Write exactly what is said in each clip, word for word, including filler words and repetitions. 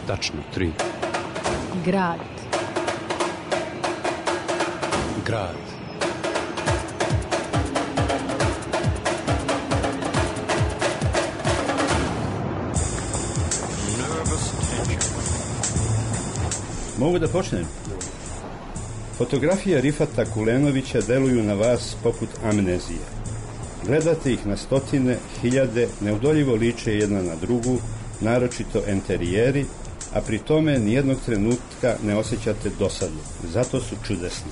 Tačno, tri. Grad. Grad. Mogu da počnem? Fotografije Rifata Kulenovića deluju na vas poput amnezije. Gledate ih na stotine, hiljade, neudoljivo liče jedna na drugu, naročito enterijeri, a pri tome nijednog trenutka ne osjećate dosadu. Zato su čudesni.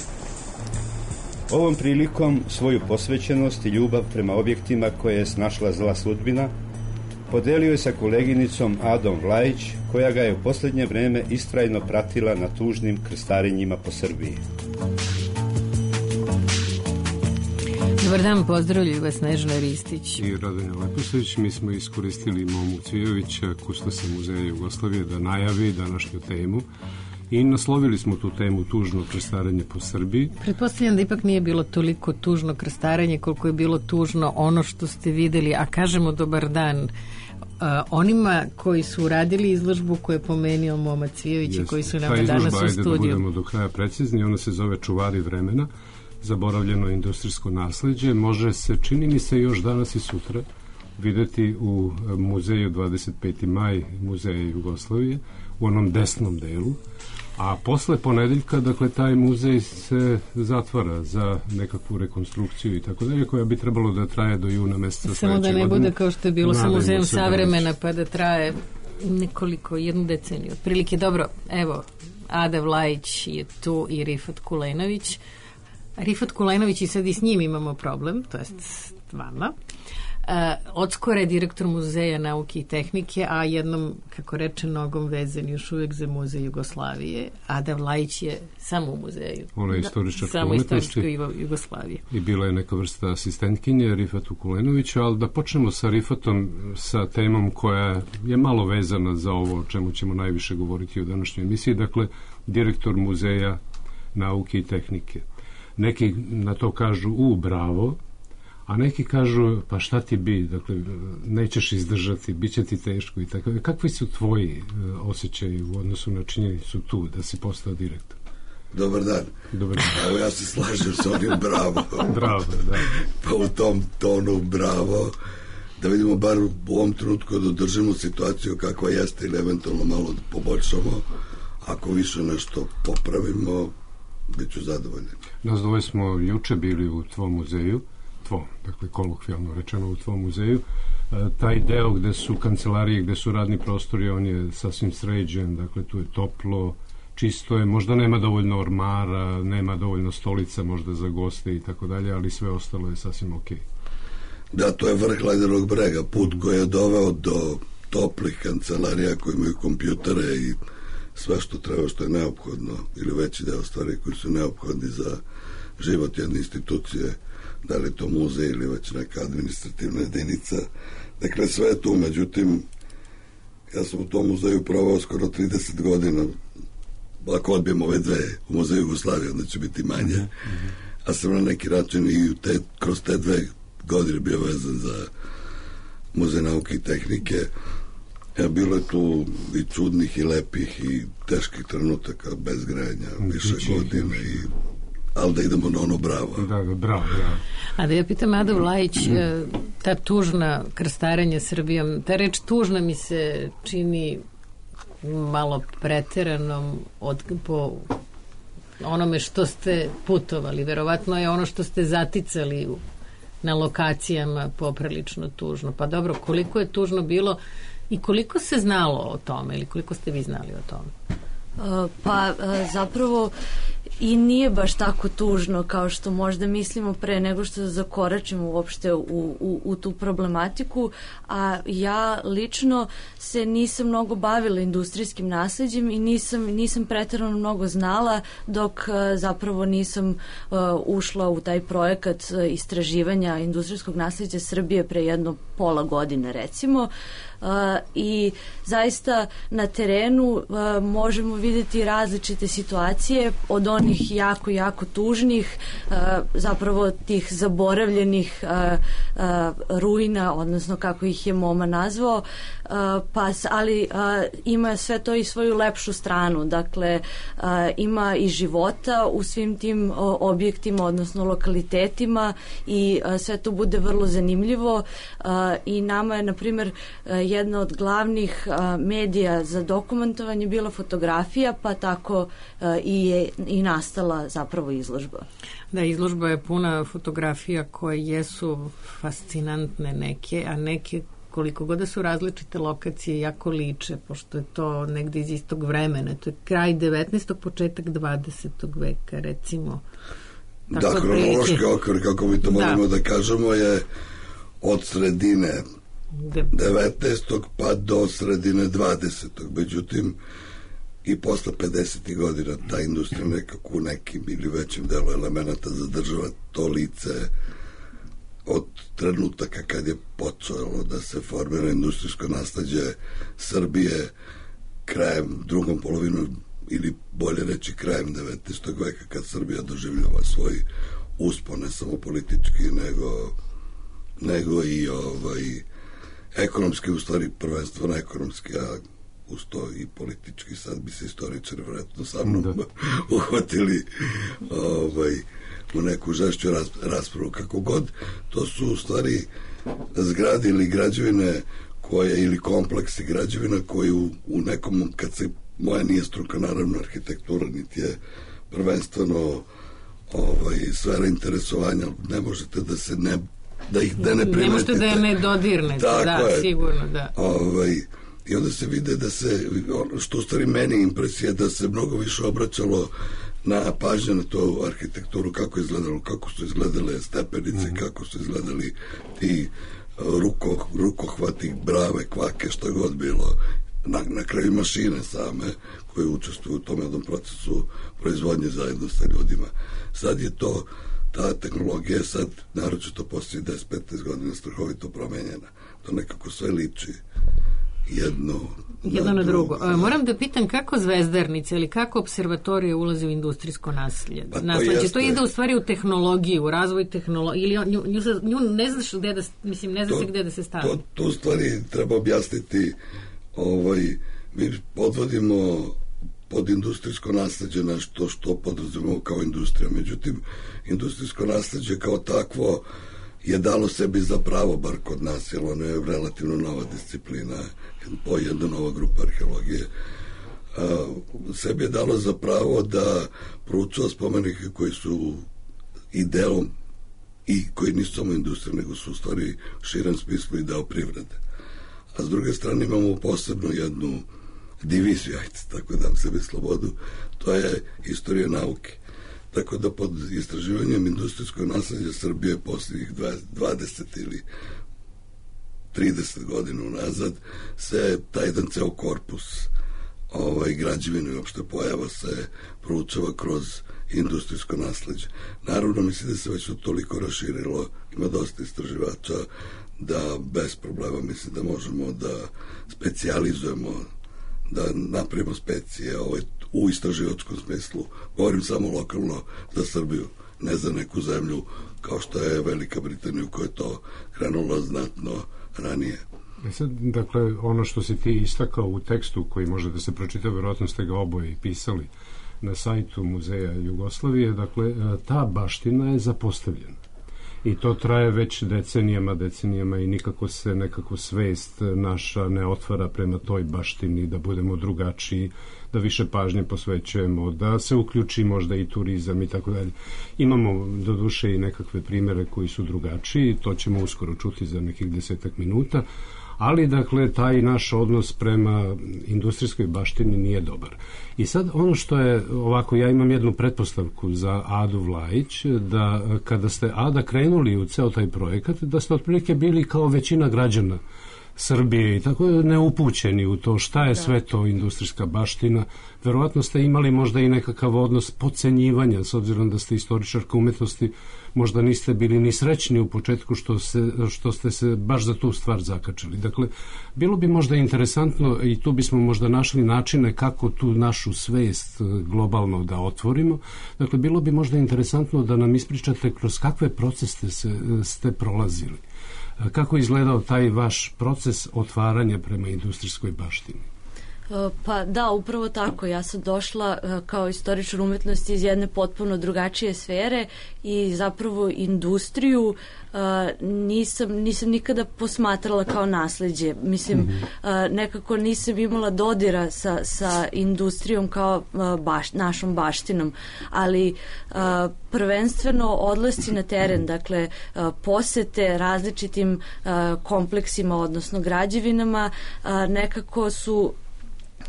Ovom prilikom svoju posvećenost i ljubav prema objektima koje je snašla zla sudbina podelio je sa koleginicom Adom Vlajić, koja ga je u posljednje vreme istrajno pratila na tužnim krstarenjima po Srbiji. Dobar dan, pozdravljaju vas Snežana Ristić i Radonja Leposavić. Mi smo iskoristili Momu Cvijovića, kustosa Muzeja Jugoslavije, da najavi današnju temu i naslovili smo tu temu tužno krstarenje po Srbiji. Pretpostavljam da ipak nije bilo toliko tužno krstarenje koliko je bilo tužno ono što ste videli, a kažemo dobar dan uh, onima koji su radili izložbu koju je pomenio Moma Cvijović i koji su nam danas u studiju. Ta izložba, ajde da budemo do kraja precizni, ona se zove Čuvari vremena, zaboravljeno industrijsko nasleđe. Može se, čini mi se, još danas i sutra videti u muzeju dvadeset peti maj Muzeja Jugoslavije, u onom desnom delu, a posle ponedeljka, dakle, taj muzej se zatvara za nekakvu rekonstrukciju i tako dalje, koja bi trebalo da traje do juna meseca sledeće godine. Samo da ne bude kao što je bilo sa Muzejom savremena, pa da traje nekoliko, jednu deceniju. Otprilike, dobro, evo, Ada Vlajić je tu i Rifat Kulenović. Rifat Kulenović, i sad i s njim imamo problem, to jest s vama. Uh, odskora je direktor Muzeja nauke i tehnike, a jednom, kako reče, nogom vezan još uvijek za Muzej Jugoslavije. Ada Vlajić je samo u muzeju. Ona je istoričarka samo umetnosti Jugoslavije. I bila je neka vrsta asistentkinje Rifatu Kulenoviću, ali da počnemo sa Rifatom, sa temom koja je malo vezana za ovo o čemu ćemo najviše govoriti u današnjoj emisiji, dakle, direktor Muzeja nauke i tehnike. Neki na to kažu, u, bravo, a neki kažu, pa šta ti bi, dakle, nećeš izdržati, bit će ti teško i tako. Kakvi su tvoji uh, osjećaji u odnosu na činjenicu tu da si postao direktor? Dobar dan. Dobar dan. Evo, ja se slažem s onim bravo. Bravo, da. Pa u tom tonu bravo, da vidimo bar u ovom trenutku da održimo situaciju kakva jeste ili eventualno malo da poboljšamo. Ako više nešto popravimo, bit ću zadovoljan. Nas dvoje smo juče bili u tvom muzeju, tvom, dakle kolokvijalno rečeno u tvom muzeju. E, taj deo gde su kancelarije, gde su radni prostori, on je sasvim sređen, dakle tu je toplo, čisto je, možda nema dovoljno ormara, nema dovoljno stolica možda za goste i tako dalje, ali sve ostalo je sasvim okej. Da, to je vrh ledenog brega, put koji je doveo do toplih kancelarija koji imaju kompjutere i sve što treba, što je neophodno, ili veći deo stvari koji su neophodni za život jedne institucije, da li to muzej ili već neka administrativna jedinica. Dakle, sve je tu, međutim, ja sam u tom muzeju provao skoro trideset godina, ako odbijemo ove dve u Muzeju Jugoslavije, onda će biti manje, mm-hmm. a sam na neki način i te, kroz te dve godine bio vezan za Muzej nauke i tehnike. Ja, bilo je tu i čudnih i lepih i teških trenutaka bez grejanja, više godina i ali da idemo na ono bravo. Da, da, bravo, ja. A da ja pitam Adu Vlajić, ta tužna krstarenja Srbijom, ta reč tužna mi se čini malo preteranom od, po onome što ste putovali. Verovatno je ono što ste zaticali u, na lokacijama poprilično tužno. Pa dobro, koliko je tužno bilo i koliko se znalo o tome ili koliko ste vi znali o tome? Uh, pa uh, zapravo i nije baš tako tužno kao što možda mislimo pre nego što zakoračimo uopšte u, u, u tu problematiku, a ja lično se nisam mnogo bavila industrijskim nasleđem i nisam, nisam preterano mnogo znala dok uh, zapravo nisam uh, ušla u taj projekat uh, istraživanja industrijskog nasleđa Srbije pre jedno pola godine recimo. Uh, i zaista na terenu uh, možemo vidjeti različite situacije, od onih jako, jako tužnih, zapravo tih zaboravljenih ruina, odnosno kako ih je Moma nazvao, pa, ali ima sve to i svoju lepšu stranu, dakle ima i života u svim tim objektima, odnosno lokalitetima, i sve to bude vrlo zanimljivo, i nama je, na primjer, jedna od glavnih medija za dokumentovanje bila fotografija, pa tako i je i nastala zapravo izložba. Da, izložba je puna fotografija koje jesu fascinantne neke, a neke, koliko god da su različite lokacije, jako liče, pošto je to negde iz istog vremena. To je kraj devetnaestog, početak dvadesetog veka, recimo. Tako da, kronološki okvir, kako mi to moramo da. da kažemo, je od sredine devetnaestog pa do sredine dvadesetog. Međutim, i posle pedesetih godina ta industrija nekako u nekim ili većim delu elemenata zadržava to lice od trenutaka kad je počelo da se formira industrijsko nasleđe Srbije krajem drugom polovinu, ili bolje reći krajem devetnaestog veka, kad Srbija doživljava svoj uspon, ne samo politički, nego, nego i ovaj, ekonomski, u stvari prvenstveno ekonomski, a uz to i politički. Sad bi se istoričari vjerojatno sa mnom da. uhvatili ovaj, u neku žešću raspravu. Kako god, to su u stvari zgrade ili građevine koje, ili kompleksi građevina koji u, u nekom, kad se, moja nije struka naravno arhitektura, niti je prvenstveno ovaj, sfera interesovanja, ne možete da se ne da ih da ne primetite. Ne možete da je ne dodirnete, da, je. sigurno, da. Ovaj, i onda se vide da se, što u stvari meni impresija, da se mnogo više obraćalo na pažnje na tu arhitekturu, kako je izgledalo, kako su izgledale stepenice, mm. kako su izgledali ti ruko, rukohvati, brave, kvake, što je god bilo, na, na kraju mašine same koje učestvuju u tom jednom procesu proizvodnje zajedno sa ljudima. Sad je to, ta tehnologija sad, naročito poslije deset do petnaest godina, strahovito promenjena. To nekako sve liči jedno jedno na drugo. drugo. Moram da pitam kako zvezdarnica ili kako observatorija ulazi u industrijsko nasljeđe? Pa to, nasljeđe. to ide u stvari u tehnologiju, u razvoj tehnologije, ili nju, nju, nju ne znaš gde da, mislim, ne znaš to, gde da se stavi. To, to u stvari treba objasniti, ovaj, mi podvodimo pod industrijsko nasljeđe nešto što podrazumemo kao industrija. Međutim, industrijsko nasljeđe kao takvo je dalo sebi za pravo, bar kod nas, jer ono je relativno nova disciplina, po jedna nova grupa arheologije, a, sebi je dalo za pravo da proučava spomenike koji su i delom i koji nisu samo industrija, nego su u stvari u širem smislu i deo privrede. A s druge strane imamo posebno jednu diviziju, ajde, tako dam sebi slobodu, to je istorija nauke. Tako da pod istraživanjem industrijskog nasljeđa Srbije posljednjih dvadeset ili trideset godina unazad se taj jedan ceo korpus ovaj, građevine i uopšte pojava se proučava kroz industrijsko nasljeđe. Naravno, mislim da se već to toliko raširilo, ima dosta istraživača, da bez problema mislim da možemo da specijalizujemo, da napravimo specije ovaj, u istraživačkom smislu. Govorim samo lokalno za Srbiju, ne za neku zemlju kao što je Velika Britanija, u kojoj je to krenulo znatno ranije. E sad, dakle, ono što si ti istakao u tekstu koji može da se pročita, vjerojatno ste ga oboje i pisali na sajtu Muzeja Jugoslavije, dakle, ta baština je zapostavljena. I to traje već decenijama, decenijama i nikako se nekako svest naša ne otvara prema toj baštini, da budemo drugačiji, da više pažnje posvećujemo, da se uključi možda i turizam i tako dalje. Imamo do duše i nekakve primere koji su drugačiji, to ćemo uskoro čuti za nekih desetak minuta, ali dakle taj naš odnos prema industrijskoj baštini nije dobar. I sad ono što je ovako, ja imam jednu pretpostavku za Adu Vlajić, da kada ste, Ada, krenuli u ceo taj projekat, da ste otprilike bili kao većina građana Srbije i tako neupućeni u to šta je sve to industrijska baština. Verovatno ste imali možda i nekakav odnos podcenjivanja, s obzirom da ste istoričarka umetnosti, možda niste bili ni srećni u početku što, se, što ste se baš za tu stvar zakačili. Dakle, bilo bi možda interesantno i tu bismo možda našli načine kako tu našu svest globalno da otvorimo. Dakle, bilo bi možda interesantno da nam ispričate kroz kakve procese ste, ste prolazili. Kako je izgledao taj vaš proces otvaranja prema industrijskoj baštini? Pa da, upravo tako. Ja sam došla kao istoričar umetnosti iz jedne potpuno drugačije sfere i zapravo industriju nisam, nisam nikada posmatrala kao nasleđe. Mislim, mm-hmm. nekako nisam imala dodira sa, sa industrijom kao baš, našom baštinom, ali prvenstveno odlasci na teren, dakle posete različitim kompleksima, odnosno građevinama, nekako su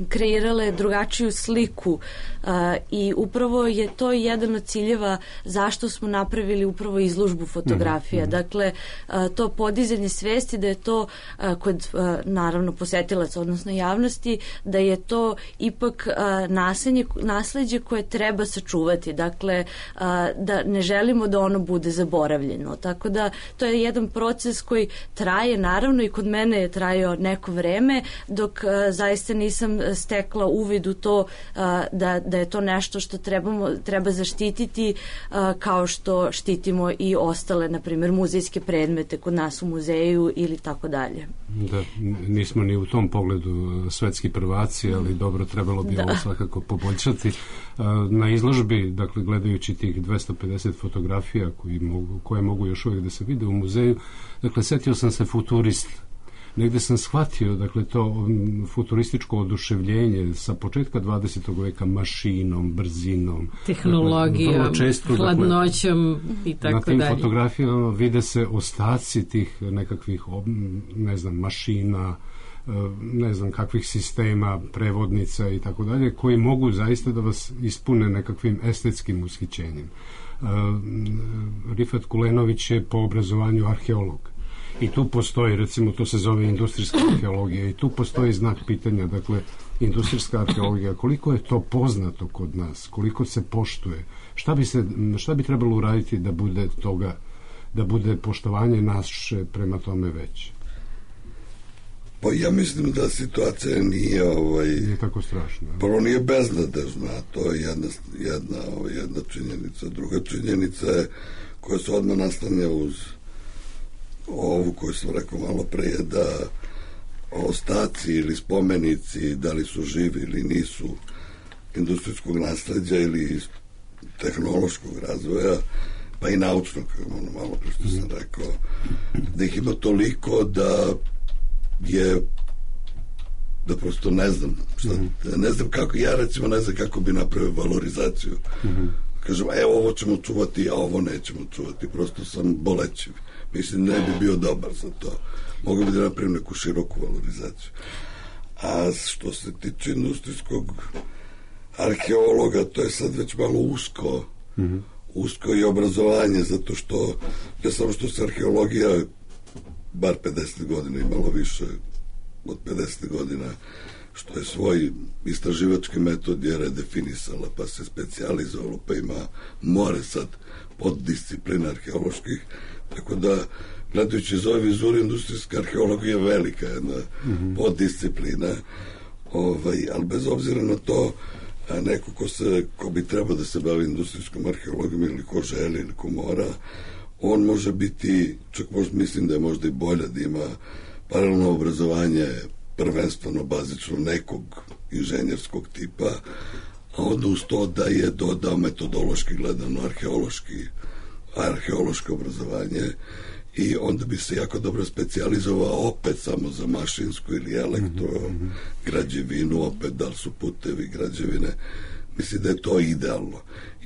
kreirale drugačiju sliku uh, i upravo je to jedan od ciljeva zašto smo napravili upravo izložbu fotografija. Mm-hmm. Dakle, uh, to podizanje svesti da je to uh, kod uh, naravno posetilaca, odnosno javnosti, da je to ipak uh, naslednje, nasleđe koje treba sačuvati. Dakle, uh, da ne želimo da ono bude zaboravljeno. Tako da to je jedan proces koji traje, naravno i kod mene je trajao neko vreme, dok uh, zaista nisam stekla uvid u to uh, da, da je to nešto što trebamo, treba zaštititi uh, kao što štitimo i ostale, na primjer, muzejske predmete kod nas u muzeju ili tako dalje. Da, nismo ni u tom pogledu svetski prvaci, ali dobro, trebalo bi da. Ovo svakako poboljšati. Uh, na izložbi, dakle, gledajući tih dvesta pedeset fotografija koji mogu, koje mogu još uvijek da se vide u muzeju, dakle, setio sam se futurist. Negde sam shvatio, dakle, to futurističko oduševljenje sa početka dvadesetog veka mašinom, brzinom, tehnologijom, dakle, često, hladnoćom dakle, i tako dalje. Na tim dalje. Fotografijama vide se ostaci tih nekakvih, ne znam, mašina, ne znam kakvih sistema, prevodnica i tako dalje, koji mogu zaista da vas ispune nekakvim estetskim ushićenjem. Rifat Kulenović je po obrazovanju arheolog. I tu postoji, recimo, to se zove industrijska arheologija i tu postoji znak pitanja, dakle, industrijska arheologija, koliko je to poznato kod nas, koliko se poštuje, šta bi, se, šta bi trebalo uraditi da bude toga, da bude poštovanje naše prema tome veće? Pa ja mislim da situacija nije ovaj, nije tako strašna. Prvo nije beznadežna, to je jedna, jedna, ovaj, jedna činjenica. Druga činjenica je koja se odmah nastanja uz ovu koju sam rekao malo pre, je da ostaci ili spomenici, da li su živi ili nisu, industrijskog nasleđa ili tehnološkog razvoja, pa i naučnog, ono malo pre što sam rekao, da ih ima toliko da je da prosto ne znam šta, ne znam kako, ja recimo ne znam kako bi napravio valorizaciju. Mm-hmm. Kažem, evo ovo ćemo čuvati, a ovo nećemo čuvati, prosto sam bolećiv. Mislim, ne bi bio dobar za to. Mogu bi da napravim neku široku valorizaciju. A što se tiče industrijskog arheologa, to je sad već malo usko, mm-hmm. usko i obrazovanje, zato što ne samo što se arheologija bar pedeset godina i malo više od pedeset godina, što je svoj istraživački metod je redefinisala, pa se specijalizovalo, pa ima more sad poddisciplina arheoloških, tako da gledajući iz ove vizure industrijska arheologija je velika jedna mm-hmm. poddisciplina, ovaj, ali bez obzira na to, neko ko, se, ko bi trebao da se bavi industrijskom arheologijom ili ko želi ili ko mora, on može biti, čak možda mislim da je možda i bolje da ima paralelno obrazovanje prvenstveno bazično nekog inženjerskog tipa, a onda uz to da je dodao metodološki gledano arheološki arheološko obrazovanje i onda bi se jako dobro specijalizovao opet samo za mašinsku ili elektro mm-hmm. građevinu, opet da li su putevi, građevine. Mislim da je to idealno.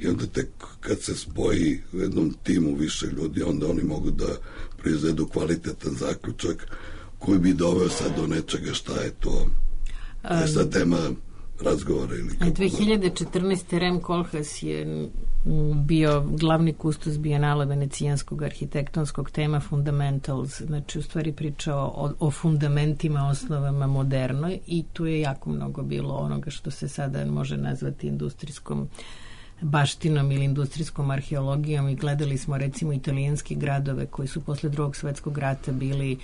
I onda tek kad se spoji u jednom timu više ljudi, onda oni mogu da proizvedu kvalitetan zaključak koji bi doveo sad do nečega šta je to. To je sad tema razgovora. Ili kako dve hiljade četrnaeste. Rem Koolhaas je bio glavni kustos Bijenala venecijanskog arhitektonskog tema Fundamentals, znači u stvari pričao o, o fundamentima, osnovama modernoj, i tu je jako mnogo bilo onoga što se sada može nazvati industrijskom baštinom ili industrijskom arheologijom, i gledali smo recimo italijanske gradove koji su posle drugog svetskog rata bili,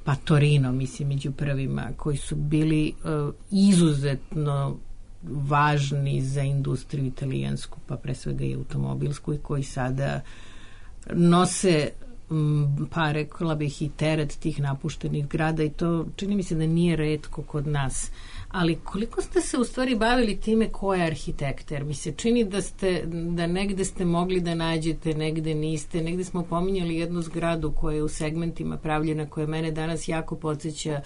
pa Torino, mislim, među prvima, koji su bili uh, izuzetno važni za industriju italijansku, pa pre svega i automobilsku, i koji sada nose m, pa rekla bih i teret tih napuštenih grada, i to čini mi se da nije retko kod nas. Ali koliko ste se u stvari bavili time ko je arhitekta? Jer mi se čini da ste, da negde ste mogli da nađete, negde niste. Negde smo pominjali jednu zgradu koja je u segmentima pravljena, koja mene danas jako podsjeća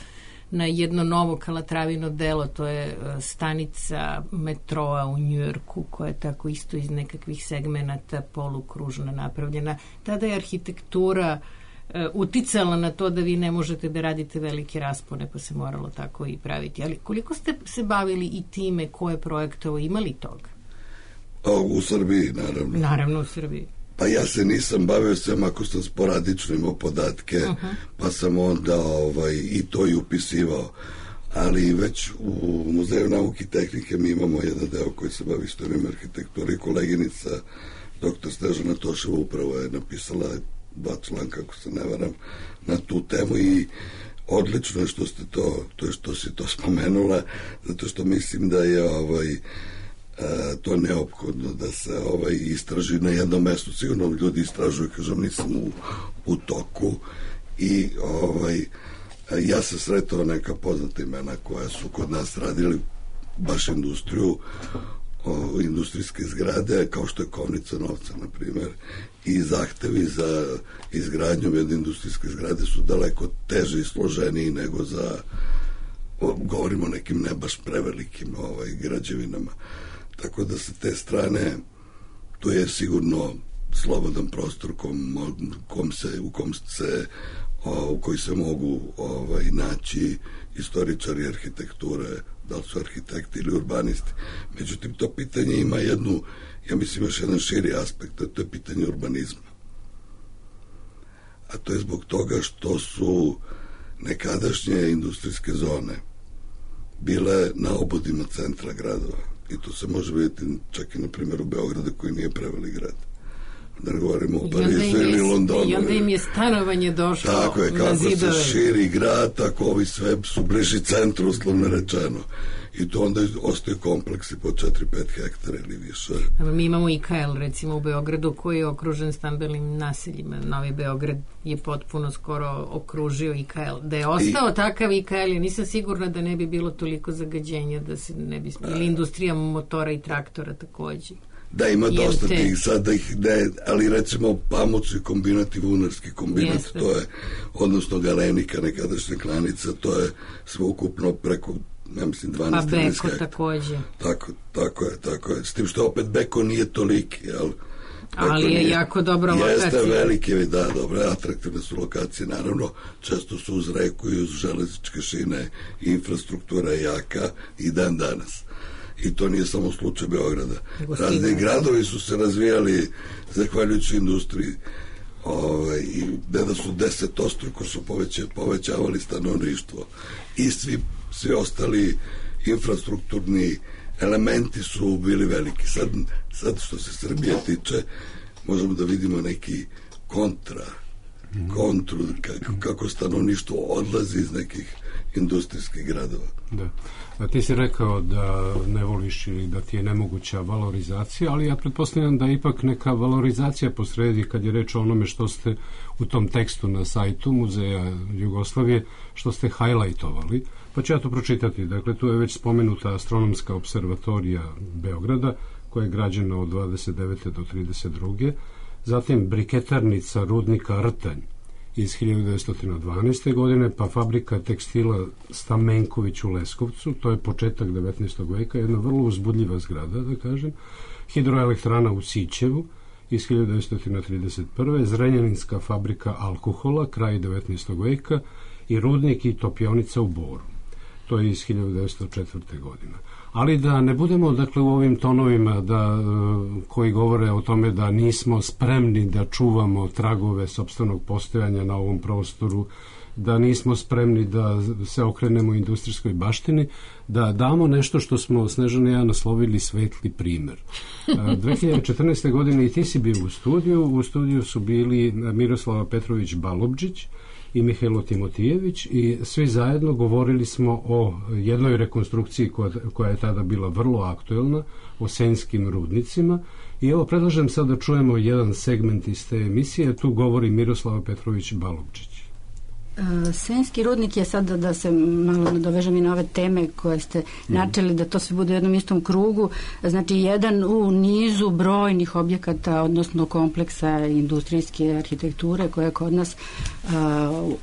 na jedno novo Kalatravino delo, to je stanica metroa u Njujorku, koja je tako isto iz nekakvih segmenata polukružno napravljena. Tada je arhitektura uticala na to da vi ne možete da radite velike raspone, pa se moralo tako i praviti. Ali koliko ste se bavili i time ko je projektovo, imali toga? O, u Srbiji, naravno. Naravno u Srbiji. Pa ja se nisam bavio sam ako sam sporadično imao podatke, uh-huh. pa sam onda ovaj, i to i upisivao. Ali već u Muzeju nauke i tehnike mi imamo jedan deo koji se bavi istorijom arhitekture, i koleginica doktor Snežana Toševa upravo je napisala dva članka, ako se ne varam, na tu temu, i odlično je što ste to, to je što si to spomenula, zato što mislim da je ovaj, a, to neophodno da se ovaj, istraži na jednom mestu. Sigurno ljudi istražuju, kažem, nisam u, u toku, i ovaj, ja sam sretao neka poznata imena koja su kod nas radili baš industriju, o, industrijske zgrade, kao što je Kovnica novca, na primjer, i zahtevi za izgradnju jedne industrijske zgrade su daleko teže i složeniji nego za, o, govorimo o nekim ne baš prevelikim ovaj, građevinama. Tako da sa te strane to je sigurno slobodan prostor kom, kom se, u kom se o, u koji se mogu ovaj, naći istoričari arhitekture, da li su arhitekti ili urbanisti. Međutim, to pitanje ima jednu, ja mislim, još jedan širi aspekt, a to je pitanje urbanizma. A to je zbog toga što su nekadašnje industrijske zone bile na obodima centra gradova. I to se može vidjeti čak i na primjeru Beograda, koji nije prevelik grad. Da ne govorimo o Parizu ili Londonu. I onda im je stanovanje došlo na zidove. Tako je, kako se širi grad, tako ovi sve su bliži centru, uslovno rečeno. I to onda ostaju kompleksi po četiri do pet hektara ili više. Mi imamo I K L, recimo, u Beogradu, koji je okružen stambenim naseljima. Novi Beograd je potpuno skoro okružio I K L. Da je ostao I... takav I K L, ja nisam sigurna da ne bi bilo toliko zagađenja, da se ne bi... Ili industrija motora i traktora takođe. Da, ima I dosta te... tih, sad da ih ne, ali recimo pamuci kombinat i vunarski kombinat, Jeste. To je, odnosno Galenika, nekadašnja klanica, to je sveukupno preko, ja mislim, dvanaest trinaest hektara. Pa Beko takođe. Tako, tako je, tako je. S tim što opet Beko nije toliki, jel? Ali je nije, jako dobra lokacija. Jeste velike, da, dobre, atraktivne su lokacije, naravno, često su uz reku i uz železničke šine, i infrastruktura je jaka i dan danas. I to nije samo slučaj Beograda. Razni gradovi su se razvijali zahvaljujući industriji. Ovaj, i da su desetostruko su poveća, povećavali stanovništvo. I svi, svi ostali infrastrukturni elementi su bili veliki. Sad, sad što se Srbije tiče, možemo da vidimo neki kontra, kontru, kako, kako stanovništvo odlazi iz nekih industrijskih gradova. Da. A ti si rekao da ne voliš ili da ti je nemoguća valorizacija, ali ja pretpostavljam da je ipak neka valorizacija posredi kad je reč o onome što ste u tom tekstu na sajtu Muzeja Jugoslavije, što ste hajlajtovali. Pa ću ja to pročitati. Dakle, tu je već spomenuta astronomska observatorija Beograda, koja je građena od dvadeset devete do trideset druge Zatim briketarnica rudnika Rtanj iz hiljadu devetsto dvanaeste. godine, pa fabrika tekstila Stamenković u Leskovcu, to je početak devetnaestog veka, jedna vrlo uzbudljiva zgrada, da kažem, hidroelektrana u Sićevu iz hiljadu devetsto trideset prve. Zrenjaninska fabrika alkohola, kraj devetnaestog veka, i rudnik i topionica u Boru. to je iz hiljadu devetsto četvrte. godine. Ali da ne budemo, dakle, u ovim tonovima da, koji govore o tome da nismo spremni da čuvamo tragove sopstvenog postojanja na ovom prostoru, da nismo spremni da se okrenemo industrijskoj baštini, da damo nešto što smo Snežana i ja naslovili svetli primer. dve hiljade četrnaeste. godine i ti si bio u studiju, u studiju su bili Miroslava Petrović Balobdžić i Mihajlo Timotijević i svi zajedno govorili smo o jednoj rekonstrukciji koja, koja je tada bila vrlo aktuelna, o Senjskim rudnicima. I evo, predlažem sad da čujemo jedan segment iz te emisije. Tu govori Miroslava Petrović Balobdžić. Senjski rudnik je sad, da, da se malo nadovežem i na ove teme koje ste načeli, da to sve bude u jednom istom krugu, znači jedan u nizu brojnih objekata, odnosno kompleksa industrijske arhitekture koja je kod nas a,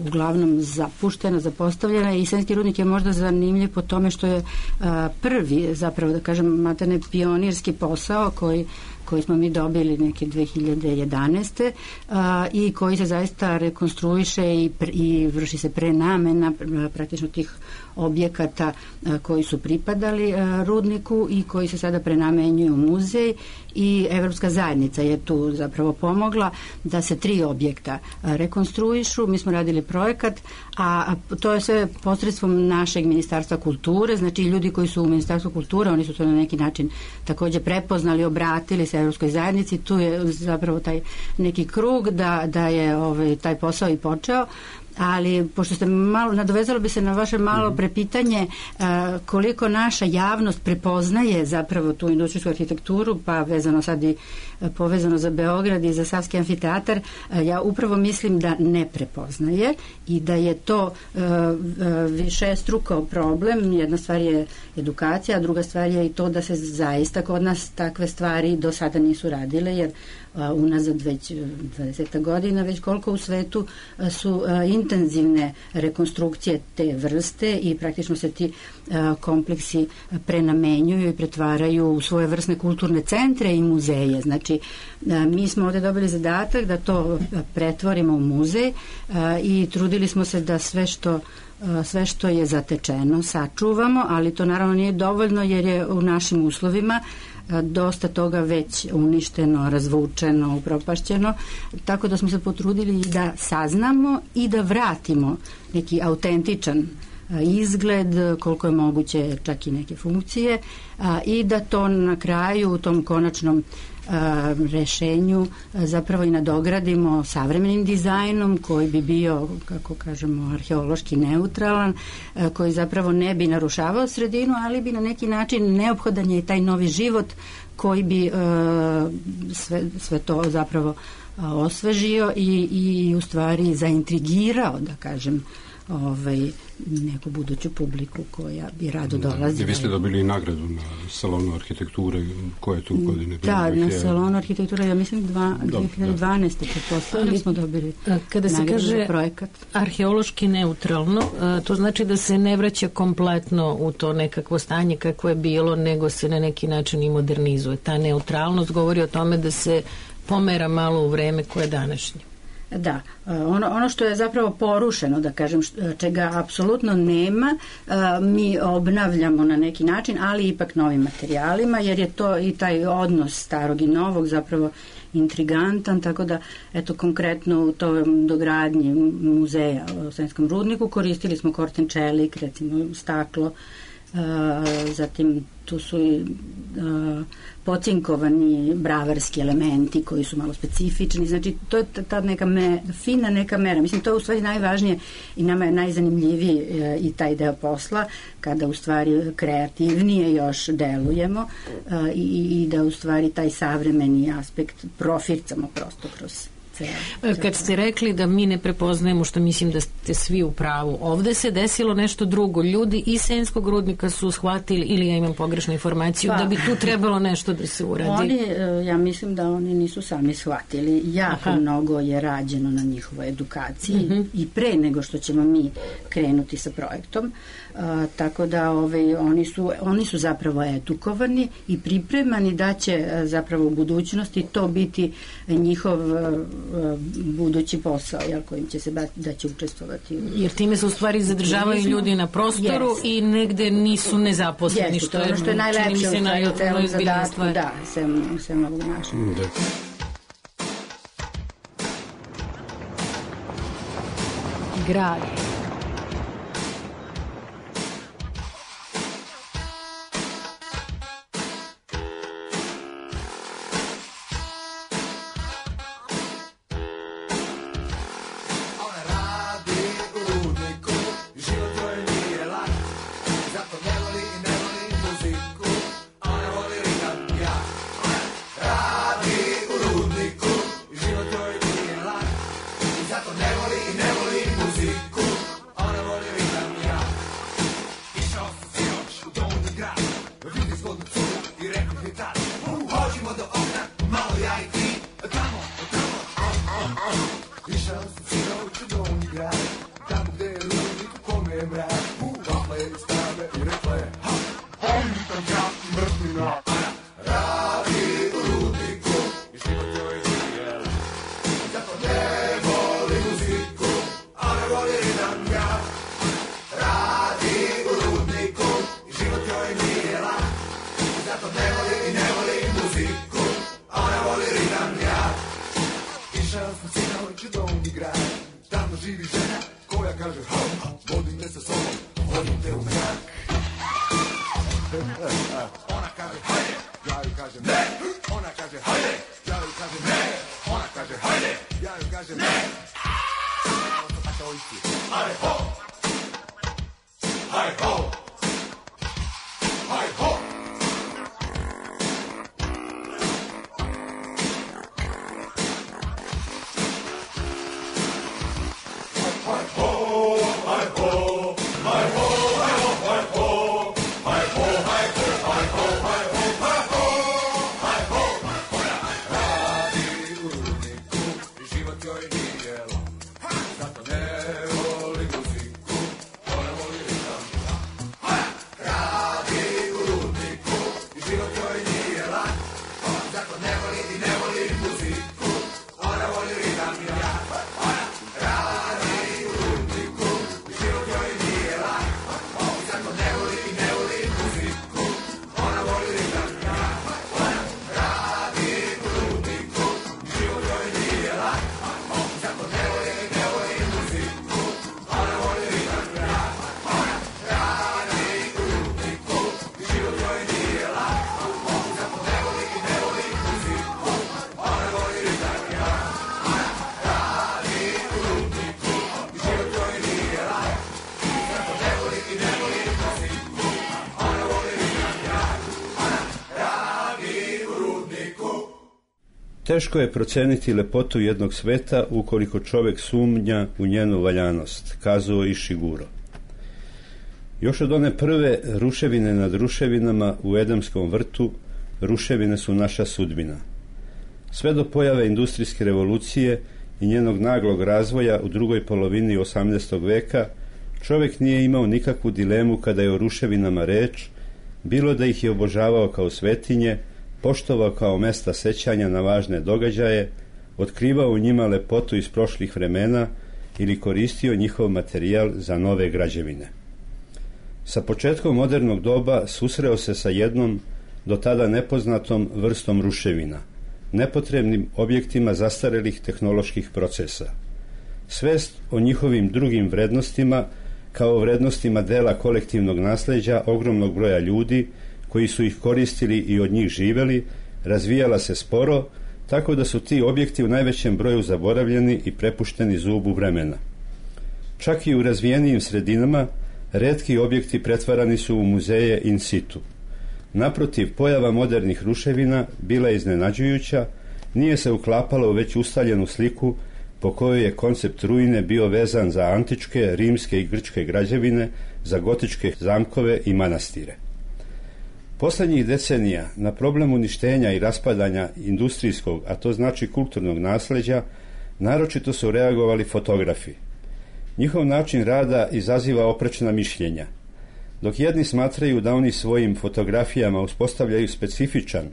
uglavnom zapuštena, zapostavljena, i Senjski rudnik je možda zanimljiv po tome što je a, prvi, zapravo da kažem, materne pionirski posao koji koji smo mi dobili neke dve hiljade jedanaeste. A, i koji se zaista rekonstruiše i, i vrši se prenamena praktično tih objekata a, koji su pripadali a, rudniku i koji se sada prenamenjuju u muzej, i Evropska zajednica je tu zapravo pomogla da se tri objekta a, rekonstruišu. Mi smo radili projekat, a, a to je sve posredstvom našeg Ministarstva kulture, znači ljudi koji su u Ministarstvu kulture, oni su to na neki način također prepoznali, obratili se Evropskoj zajednici, tu je zapravo taj neki krug da, da je ovaj, taj posao i počeo. Ali pošto ste malo, nadovezalo bi se na vaše malo prepitanje a, koliko naša javnost prepoznaje zapravo tu industrijsku arhitekturu, pa vezano sad i a, povezano za Beograd i za Savski amfiteatar, a, ja upravo mislim da ne prepoznaje i da je to višestruko problem. Jedna stvar je edukacija, a druga stvar je i to da se zaista kod nas takve stvari do sada nisu radile, jer a, unazad već dvadeset godina, već koliko u svetu a, su a, intenzivne rekonstrukcije te vrste i praktično se ti a, kompleksi prenamenjuju i pretvaraju u svoje vrstne kulturne centre i muzeje. Znači, a, mi smo ovdje dobili zadatak da to pretvorimo u muzej a, i trudili smo se da sve što sve što je zatečeno sačuvamo, ali to naravno nije dovoljno, jer je u našim uslovima dosta toga već uništeno, razvučeno, upropašćeno, tako da smo se potrudili da saznamo i da vratimo neki autentičan izgled, koliko je moguće čak i neke funkcije, i da to na kraju u tom konačnom a, rešenju a, zapravo i nadogradimo savremenim dizajnom koji bi bio, kako kažemo, arheološki neutralan, a, koji zapravo ne bi narušavao sredinu, ali bi na neki način neophodan je i taj novi život koji bi a, sve, sve to zapravo a, osvežio i, i u stvari zaintrigirao, da kažem, ovaj, neku buduću publiku koja bi rado dolazila. I vi ste dobili nagradu na salonu arhitekture koje je tu godine bilo. Da, na salonu arhitekture, ja mislim dva, dve hiljade dvanaeste pretpostavili smo dobili kada se kaže projekat. Arheološki neutralno, to znači da se ne vraća kompletno u to nekakvo stanje kakvo je bilo, nego se na neki način i modernizuje. Ta neutralnost govori o tome da se pomera malo u vreme koje je današnje. Da, ono, ono što je zapravo porušeno, da kažem, čega apsolutno nema, mi obnavljamo na neki način, ali ipak novim materijalima, jer je to i taj odnos starog i novog zapravo intrigantan, tako da, eto, konkretno u tom dogradnji muzeja u Senjskom rudniku koristili smo korten čelik, recimo staklo, zatim tu su i pocinkovani bravarski elementi koji su malo specifični, znači to je ta neka me, fina neka mera, mislim to je u stvari najvažnije i nama je najzanimljiviji e, i taj deo posla, kada u stvari kreativnije još delujemo e, i, i da u stvari taj savremeni aspekt profircamo prosto kroz. Kad ste rekli da mi ne prepoznajemo, što mislim da ste svi u pravu, ovde se desilo nešto drugo. Ljudi iz Senjskog rudnika su shvatili, ili ja imam pogrešnu informaciju, pa, da bi tu trebalo nešto da se uradi. Oni, ja mislim da oni nisu sami shvatili. Jako Aha. mnogo je rađeno na njihovoj edukaciji uh-huh. i pre nego što ćemo mi krenuti sa projektom. Uh, tako da ovaj, oni, su, oni su zapravo edukovani i pripremani da će uh, zapravo u budućnosti to biti njihov uh, budući posao, jel, kojim će se da će učestvovati. Jer time se u stvari zadržavaju ljudi na prostoru yes. i negde nisu nezaposleni, yes, što je, što je najlepše u celom zadatku, da, sem, sem ovog našeg. Da. Grad. Teško je proceniti lepotu jednog sveta ukoliko čovjek sumnja u njenu valjanost, kazao Ishiguro. Još od one prve ruševine nad ruševinama u Edemskom vrtu, ruševine su naša sudbina. Sve do pojave industrijske revolucije i njenog naglog razvoja u drugoj polovini osamnaestog veka, čovjek nije imao nikakvu dilemu kada je o ruševinama reč, bilo da ih je obožavao kao svetinje, poštovao kao mesta sećanja na važne događaje, otkrivao u njima lepotu iz prošlih vremena ili koristio njihov materijal za nove građevine. Sa početkom modernog doba susreo se sa jednom do tada nepoznatom vrstom ruševina, nepotrebnim objektima zastarelih tehnoloških procesa. Svest o njihovim drugim vrednostima kao vrednostima dela kolektivnog nasleđa ogromnog broja ljudi koji su ih koristili i od njih živeli, razvijala se sporo, tako da su ti objekti u najvećem broju zaboravljeni i prepušteni zubu vremena. Čak i u razvijenijim sredinama retki objekti pretvarani su u muzeje in situ. Naprotiv, pojava modernih ruševina bila je iznenađujuća, nije se uklapala u već ustaljenu sliku po kojoj je koncept ruine bio vezan za antičke, rimske i grčke građevine, za gotičke zamkove i manastire. Poslednjih decenija na problem uništenja i raspadanja industrijskog, a to znači kulturnog nasleđa, naročito su reagovali fotografi. Njihov način rada izaziva oprečna mišljenja. Dok jedni smatraju da oni svojim fotografijama uspostavljaju specifičan,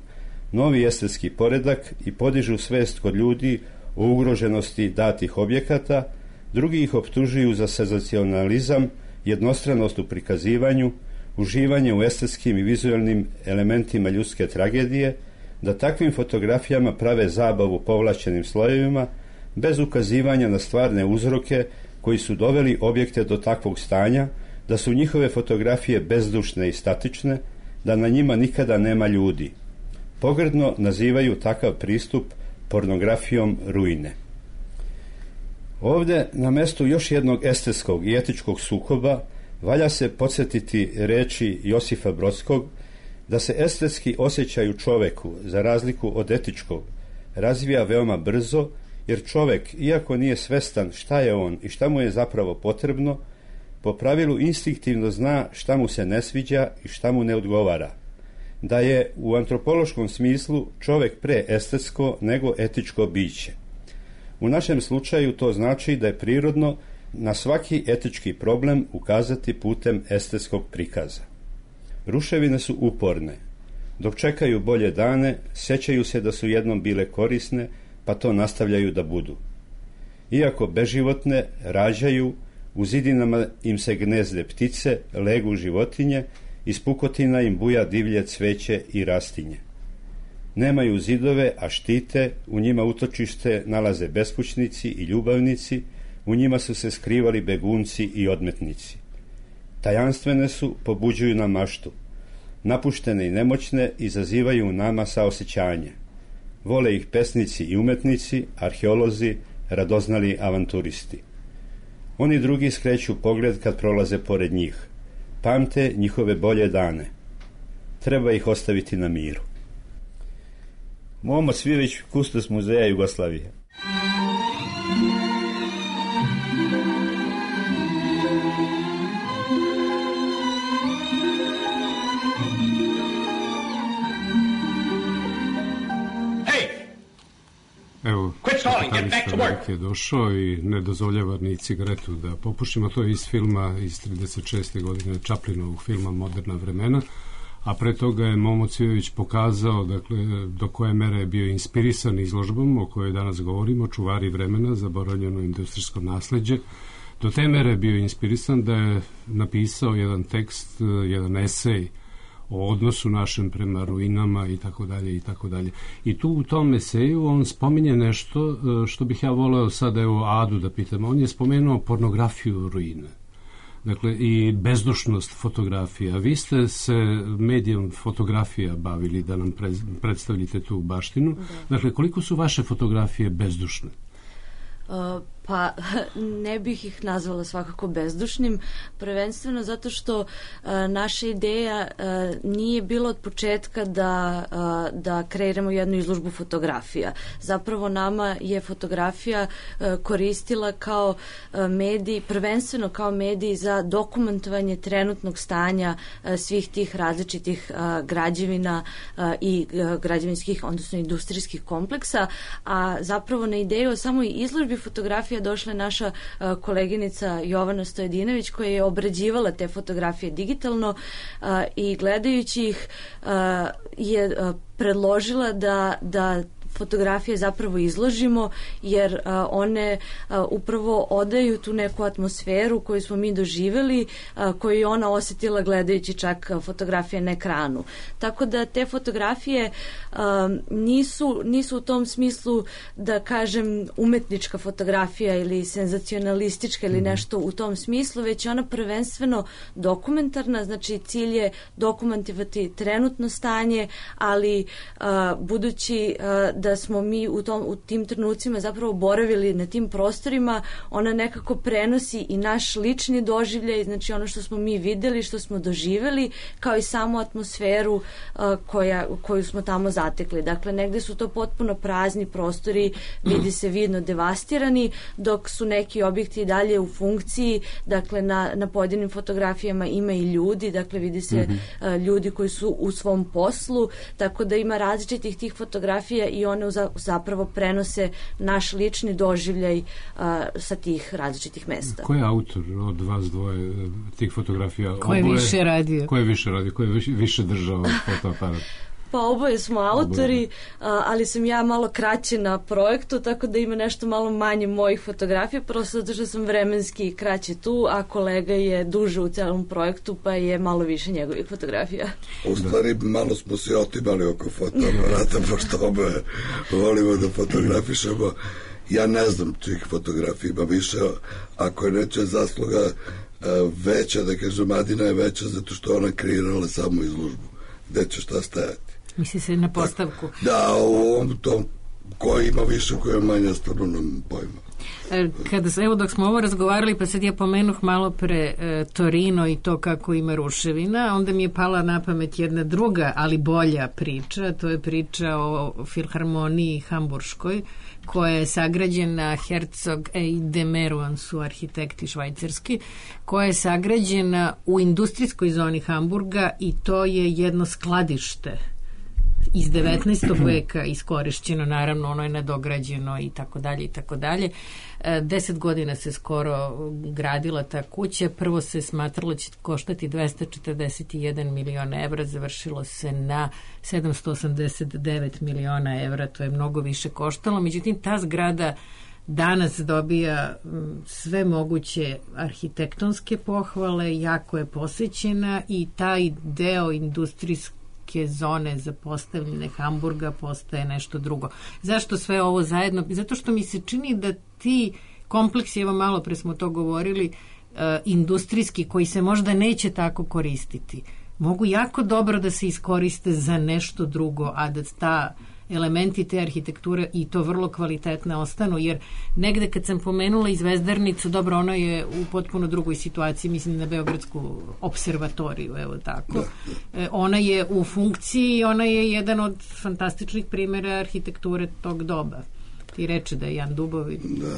novi estetski poredak i podižu svest kod ljudi o ugroženosti datih objekata, drugi ih optužuju za senzacionalizam, jednostranost u prikazivanju, uživanje u estetskim i vizualnim elementima ljudske tragedije, da takvim fotografijama prave zabavu povlašćenim slojevima, bez ukazivanja na stvarne uzroke koji su doveli objekte do takvog stanja, da su njihove fotografije bezdušne i statične, da na njima nikada nema ljudi. Pogrdno nazivaju takav pristup pornografijom ruine. Ovde, na mestu još jednog estetskog i etičkog sukoba, valja se podsjetiti reči Josifa Brodskog da se estetski osjećaj u čoveku, za razliku od etičkog, razvija veoma brzo, jer čovek, iako nije svestan šta je on i šta mu je zapravo potrebno, po pravilu instinktivno zna šta mu se ne sviđa i šta mu ne odgovara. Da je u antropološkom smislu čovek pre estetsko nego etičko biće. U našem slučaju to znači da je prirodno na svaki etički problem ukazati putem estetskog prikaza. Ruševine su uporne. Dok čekaju bolje dane, sećaju se da su jednom bile korisne, pa to nastavljaju da budu. Iako beživotne, rađaju, u zidinama im se gnezde ptice, legu životinje, iz pukotina im buja divlje cveće i rastinje. Nemaju zidove, a štite, u njima utočište nalaze beskućnici i ljubavnici, u njima su se skrivali begunci i odmetnici. Tajanstvene su, pobuđuju na maštu. Napuštene i nemoćne izazivaju u nama saosećanje. Vole ih pesnici i umetnici, arheolozi, radoznali avanturisti. Oni drugi skreću pogled kad prolaze pored njih. Pamte njihove bolje dane. Treba ih ostaviti na miru. Momo Cvilić, kustos Muzeja Jugoslavije. Evo, Kapitalista je došao i ne dozvoljava ni cigaretu da popušimo. To je iz filma iz trideset šeste godine, Chaplinovog filma Moderna vremena, a pre toga je Momo Cvijović pokazao, dakle, do koje mere je bio inspirisan izložbom o kojoj danas govorimo, Čuvari vremena, zaboravljeno industrijsko nasleđe. Do te mere je bio inspirisan da je napisao jedan tekst, jedan esej o odnosu našem prema ruinama i tako dalje i tako dalje. I tu u tom eseju on spominje nešto što bih ja voleo sada evo Adu da pitam. On je spomenuo pornografiju ruine. Dakle, i bezdušnost fotografija. Vi ste se medijom fotografija bavili da nam pre, predstavljite tu baštinu. Da. Dakle, koliko su vaše fotografije bezdušne? Uh, pa ne bih ih nazvala svakako bezdušnim, prvenstveno zato što uh, naša ideja uh, nije bila od početka da, uh, da kreiramo jednu izložbu fotografija. Zapravo nama je fotografija uh, koristila kao uh, medij, prvenstveno kao medij za dokumentovanje trenutnog stanja uh, svih tih različitih uh, građevina uh, i uh, građevinskih, odnosno industrijskih kompleksa, a zapravo na ideju o samoj izložbi fotografija došla je naša uh, koleginica Jovana Stojedinović koja je obrađivala te fotografije digitalno uh, i gledajući ih uh, je uh, predložila da, da fotografije zapravo izložimo jer uh, one uh, upravo odaju tu neku atmosferu koju smo mi doživjeli, uh, koju je ona osjetila gledajući čak fotografije na ekranu. Tako da te fotografije uh, nisu, nisu u tom smislu da kažem umetnička fotografija ili senzacionalistička ili nešto u tom smislu, već je ona prvenstveno dokumentarna, znači cilj je dokumentovati trenutno stanje, ali uh, budući uh, da smo mi u, tom, u tim trenucima zapravo boravili na tim prostorima, ona nekako prenosi i naš lični doživljaj, znači ono što smo mi videli, što smo doživjeli, kao i samu atmosferu uh, koja, koju smo tamo zatekli. Dakle, negde su to potpuno prazni prostori, vidi se vidno devastirani, dok su neki objekti dalje u funkciji, dakle na, na pojedinim fotografijama ima i ljudi, dakle vidi se mm-hmm. uh, ljudi koji su u svom poslu, tako da ima različitih tih fotografija i one zapravo prenose naš lični doživljaj uh, sa tih različitih mesta. Ko je autor od vas dvoje tih fotografija? Ko je više radio? Ko je više radio? Ko je više, više držao fotoaparat? Pa oboje smo autori, a, ali sam ja malo kraće na projektu, tako da ima nešto malo manje mojih fotografija, prosto zato što sam vremenski kraće tu, a kolega je duže u celom projektu, pa je malo više njegovih fotografija. U stvari, malo smo se otimali oko fotoaparata, pošto oboje volimo da fotografišemo. Ja ne znam čih fotografija ima više, ako je nečija zasluga veća, da kažem, Adina je veća zato što ona kreirala samo izložbu. Gde će šta stajati? Misli se na postavku. Tako, da, u ovom tom, ko ima više, ko je manje, stvarno nam pojma. Kada, evo dok smo ovo razgovarali, pa sad ja pomenuh malo pre e, Torino i to kako ima ruševina, onda mi je pala na pamet jedna druga, ali bolja priča, to je priča o Filharmoniji Hamburškoj, koja je sagrađena, Herzog i de Meruan su arhitekti švajcarski, koja je sagrađena u industrijskoj zoni Hamburga i to je jedno skladište iz devetnaestog veka iskorišćeno, naravno ono je nadograđeno i tako dalje i tako dalje. Deset godina se skoro gradila ta kuća, prvo se smatralo će koštati dvesta četrdeset jedan miliona evra, završilo se na sedamsto osamdeset devet miliona evra, to je mnogo više koštalo, međutim ta zgrada danas dobija sve moguće arhitektonske pohvale, jako je posećena i taj deo industrijske zone za postavljene Hamburga postaje nešto drugo. Zašto sve ovo zajedno? Zato što mi se čini da ti kompleksi, evo malo pre smo to govorili, uh, industrijski, koji se možda neće tako koristiti, mogu jako dobro da se iskoriste za nešto drugo, a da ta elementi te arhitekture i to vrlo kvalitetne ostanu, jer negde kad sam pomenula i Zvezdarnicu, dobro, ona je u potpuno drugoj situaciji, mislim na Beogradsku observatoriju, evo tako. E, ona je u funkciji, ona je jedan od fantastičnih primjera arhitekture tog doba. Ti reče da je Jan Dubovi. Da.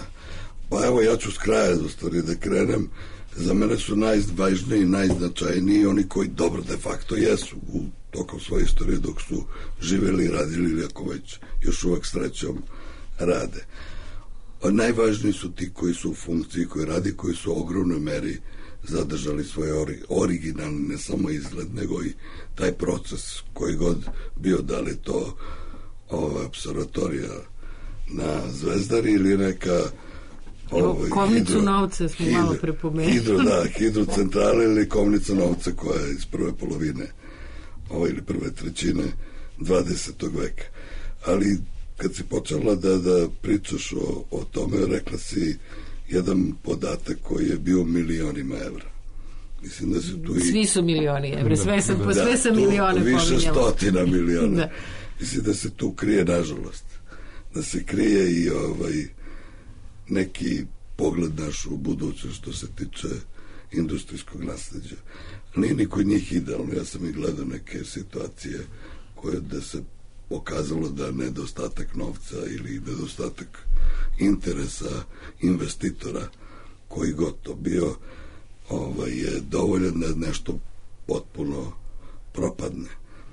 Pa evo, ja ću s kraja do stvari da krenem. Za mene su najvažniji i najznačajniji oni koji dobro de facto jesu u tokom svoje istorije dok su živjeli i radili ili ako već još uvek srećom rade. A najvažniji su ti koji su u funkciji, koji radi, koji su u ogromnoj meri zadržali svoj ori, originalni, ne samo izgled, nego i taj proces koji god bio, da li to ova observatorija na Zvezdari ili neka Ovaj, Kovnicu hidro, novca smo hidro, malo prepomenuli. Hidro, da, hidrocentrale ili Kovnica novca koja je iz prve polovine ovaj, ili prve trećine dvadesetog veka. Ali kad si počela da, da pričaš o, o tome, rekla si jedan podatak koji je bio milionima evra. Mislim da se tu i... Svi su milioni evra, sve sam, da, sve sam milione pominjala. Više stotina miliona. Da. Mislim da se tu krije, nažalost, da se krije i ovaj neki pogled naš u budućnost što se tiče industrijskog nasleđa. Nije niko od njih idealno. Ja sam i gledao neke situacije koje da se pokazalo da nedostatak novca ili nedostatak interesa investitora koji god to bio ovaj, je dovoljan da nešto potpuno propadne.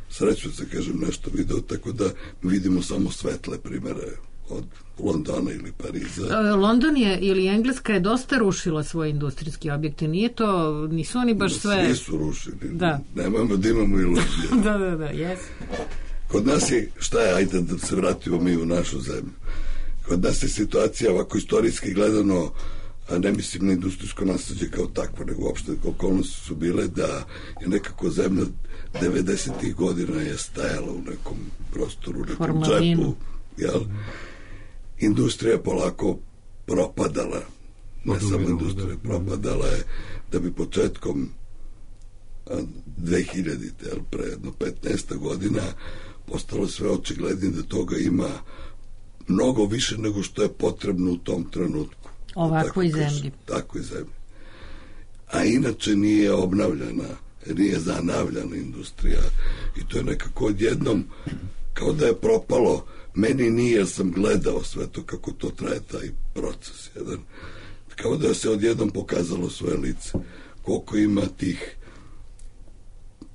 Srećno se kažem nešto video, tako da vidimo samo svetle primere od Londona ili Pariza. London je ili Engleska je dosta rušila svoje industrijske objekte. Nije to, nisu oni baš sve... Svi su rušili. Da. Nemojmo da imamo iluzije. da, da, da, jes. Kod nas je, šta je, ajde da se vratimo mi u našu zemlju. Kod nas je situacija ovako istorijski gledano, a ne mislim na industrijsko nasleđe kao takvo, nego uopšte okolnosti su bile da je nekako zemlja devedesetih godina je stajala u nekom prostoru, u nekom Formalinu. džepu, jel? Industrija polako propadala, ne samo industrija, propadala je da bi početkom dve hiljadite, jel, pre jedno petnaest godina postalo sve očiglednije da toga ima mnogo više nego što je potrebno u tom trenutku. Ovakvoj zemlji. Takvoj zemlji. A inače nije obnavljana, nije zanavljana industrija i to je nekako odjednom kao da je propalo. Meni nije, jer sam gledao sve to kako to traje taj proces jedan. Kao da se odjednom pokazalo svoje lice. Koliko ima tih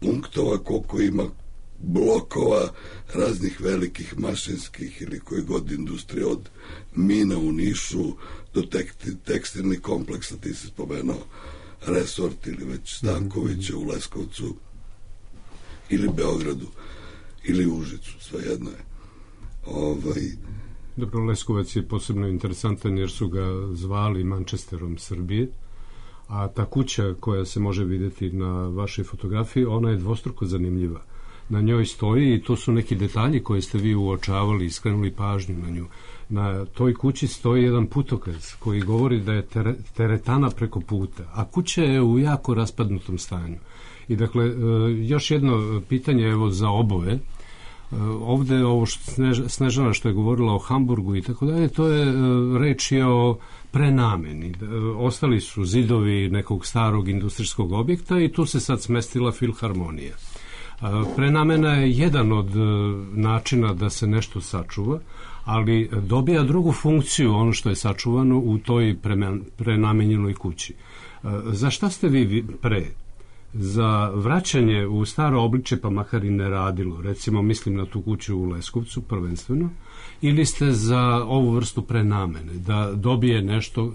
punktova, koliko ima blokova raznih velikih mašinskih ili koji god industrije, od mina u Nišu do tekstilnih kompleksa, ti si spomenuo Resort ili već Stankovića u Leskovcu ili Beogradu. ili Užicu, svejedno je. Ovaj, Dobro, Leskovac je posebno interesantan jer su ga zvali Manchesterom Srbije, a ta kuća koja se može vidjeti na vašoj fotografiji, ona je dvostruko zanimljiva. Na njoj stoji, i to su neki detalji koje ste vi uočavali i skrenuli pažnju na nju. Na toj kući stoji jedan putokaz koji govori da je teretana preko puta, a kuća je u jako raspadnutom stanju. I dakle, još jedno pitanje evo za oboje. Ovde ovo što Snežana što je govorila o Hamburgu i tako dalje, to je reč je o prenameni. Ostali su zidovi nekog starog industrijskog objekta i tu se sad smestila filharmonija. Prenamena je jedan od načina da se nešto sačuva, ali dobija drugu funkciju ono što je sačuvano u toj prenamenjenoj kući. Za šta ste vi pre? Za vraćanje u staro obliče, pa makar i ne radilo, recimo mislim na tu kuću u Leskovcu prvenstveno, ili ste za ovu vrstu prenamene, da dobije nešto,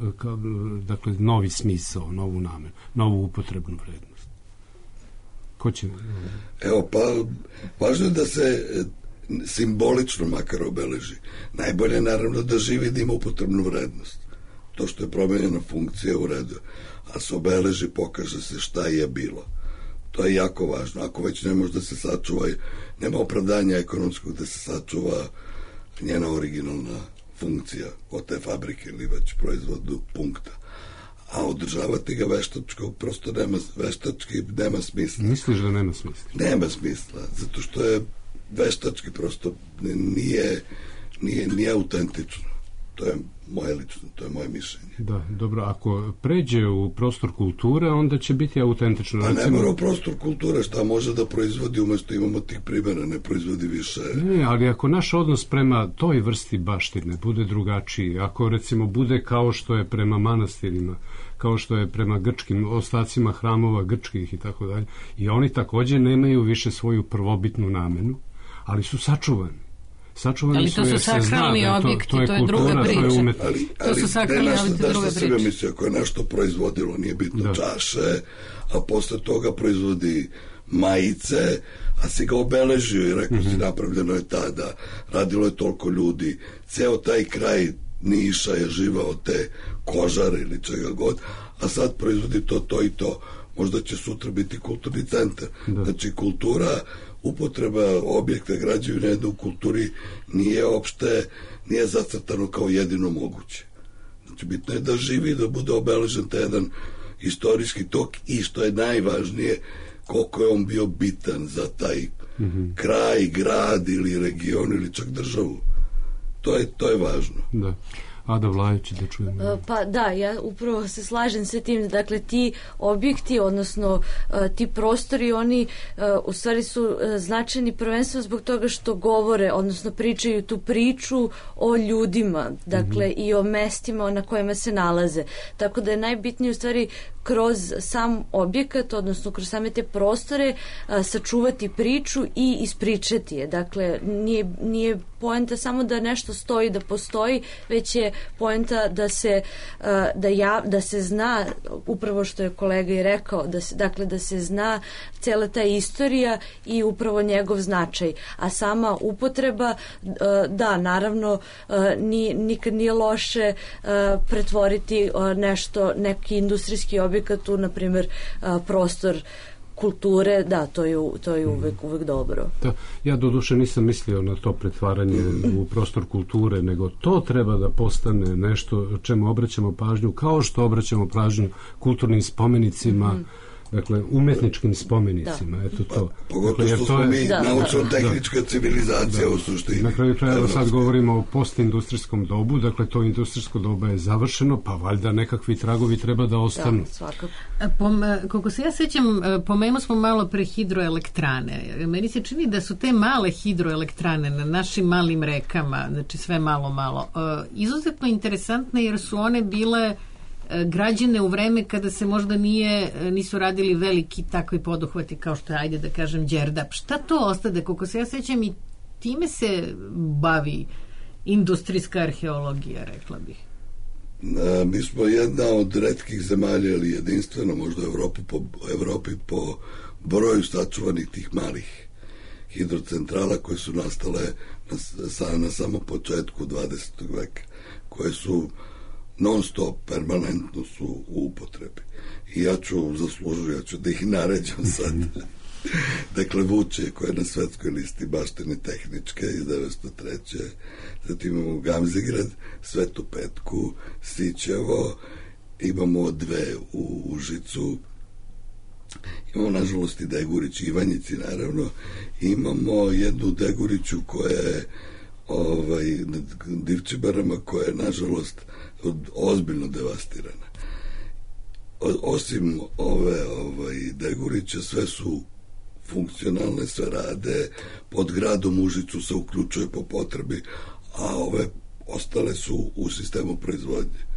dakle, novi smisao, novu namenu, novu upotrebnu vrednost? Ko će? Evo, pa, važno je da se simbolično makar obeleži. Najbolje je naravno da živi da ima upotrebnu vrednost. To što je promenjena funkcija u redu, a se obeleži, pokaže se šta je bilo. To je jako važno. Ako već ne može da se sačuva, nema opravdanja ekonomskog da se sačuva njena originalna funkcija od te fabrike ili već proizvodu punkta. A održavati ga veštačko prosto nema, veštački nema smisla. Misliš da nema smisla? Nema smisla, zato što je veštački prosto nije, nije, nije autentično. To je moje lično, to je moje mišljenje. Da, dobro, ako pređe u prostor kulture, onda će biti autentično. Pa ne mora u prostor kulture, šta može da proizvodi, umesto imamo tih primjera, ne proizvodi više. Ne, ali ako naš odnos prema toj vrsti baštine bude drugačiji, ako recimo bude kao što je prema manastirima, kao što je prema grčkim ostacima hramova grčkih i tako dalje, i oni također nemaju više svoju prvobitnu namenu, ali su sačuvani. Sačuvani ali to su, su sakralni da objekti, to, to, je to je kultura, druga priča. To, je ali, ali, to su sakralni objekti, da druga priča. Misli, ako je nešto proizvodilo, nije bitno da. Čaše, a posle toga proizvodi majice, a si ga obeležio i rekao mm-hmm. si napravljeno je tada, radilo je toliko ljudi, ceo taj kraj Niša je živao te kožare ili čega god, a sad proizvodi to, to i to. Možda će sutra biti kulturni centar. Da. Znači, kultura, upotreba objekta građevine u kulturi nije opšte, nije zacrtano kao jedino moguće. Znači, bitno je da živi, da bude obeležen taj jedan istorijski tok i što je najvažnije, koliko je on bio bitan za taj mm-hmm. kraj, grad ili region ili čak državu. To je, to je važno. Da. Ada Vlajić, da čujemo. Pa da, ja upravo se slažem sa tim, dakle ti objekti, odnosno ti prostori, oni u stvari su značajni prvenstveno zbog toga što govore, odnosno pričaju tu priču o ljudima, dakle mm-hmm. i o mestima na kojima se nalaze. Tako da je najbitnije u stvari kroz sam objekat, odnosno kroz same te prostore sačuvati priču i ispričati je. Dakle, nije, nije poenta samo da nešto stoji, da postoji, već je poenta da se da, ja, da se zna, upravo što je kolega i rekao, da se, dakle da se zna cela ta istorija i upravo njegov značaj. A sama upotreba, da, naravno, nikad nije loše pretvoriti nešto, neki industrijski objekat tu, na primjer, prostor kulture, da, to je, to je uvek, uvek dobro. Da, ja doduše nisam mislio na to pretvaranje u prostor kulture, nego to treba da postane nešto čemu obraćamo pažnju, kao što obraćamo pažnju kulturnim spomenicima, mm. dakle, umetničkim spomenicima, da. Eto to. Pa, pogotovo dakle, što smo mi naučno-tehnička civilizacija da. U suštini. Na kraju krajeva sad govorimo o postindustrijskom dobu, dakle, to industrijsko doba je završeno, pa valjda nekakvi tragovi treba da ostanu. Da, svakako. Pom, koliko se ja sećam, pomenuli smo malo pre hidroelektrane. Meni se čini da su te male hidroelektrane na našim malim rekama, znači sve malo, malo, izuzetno interesantne jer su one bile građene u vreme kada se možda nije, nisu radili veliki takvi poduhvati kao što je, ajde da kažem, Đerdap. Šta to ostade? Koliko se ja sećam i time se bavi industrijska arheologija, rekla bih. Na, mi smo jedna od retkih zemalja ili jedinstveno možda u Evropi po, Evropi po broju sačuvanih tih malih hidrocentrala koje su nastale na, na samom početku dvadesetog veka, koje su non stop, permanentno su u upotrebi. I ja ću zaslužiti, ja ću da ih naređam sad. Dakle, Vučje, koje je na svetskoj listi baštine tehničke iz devetsto treće. Zatim imamo Gamzigrad, Svetu Petku, Sićevo, imamo dve u Užicu, imamo nažalost i Degurić, Ivanjici naravno, imamo jednu Deguriću koja je ovaj, nad Divčibarama, koja je nažalost ozbiljno devastirana. O, osim ove ovaj, Degurića, sve su funkcionalne, sve rade, pod gradom Užicu se uključuje po potrebi, a ove ostale su u sistemu proizvodnje.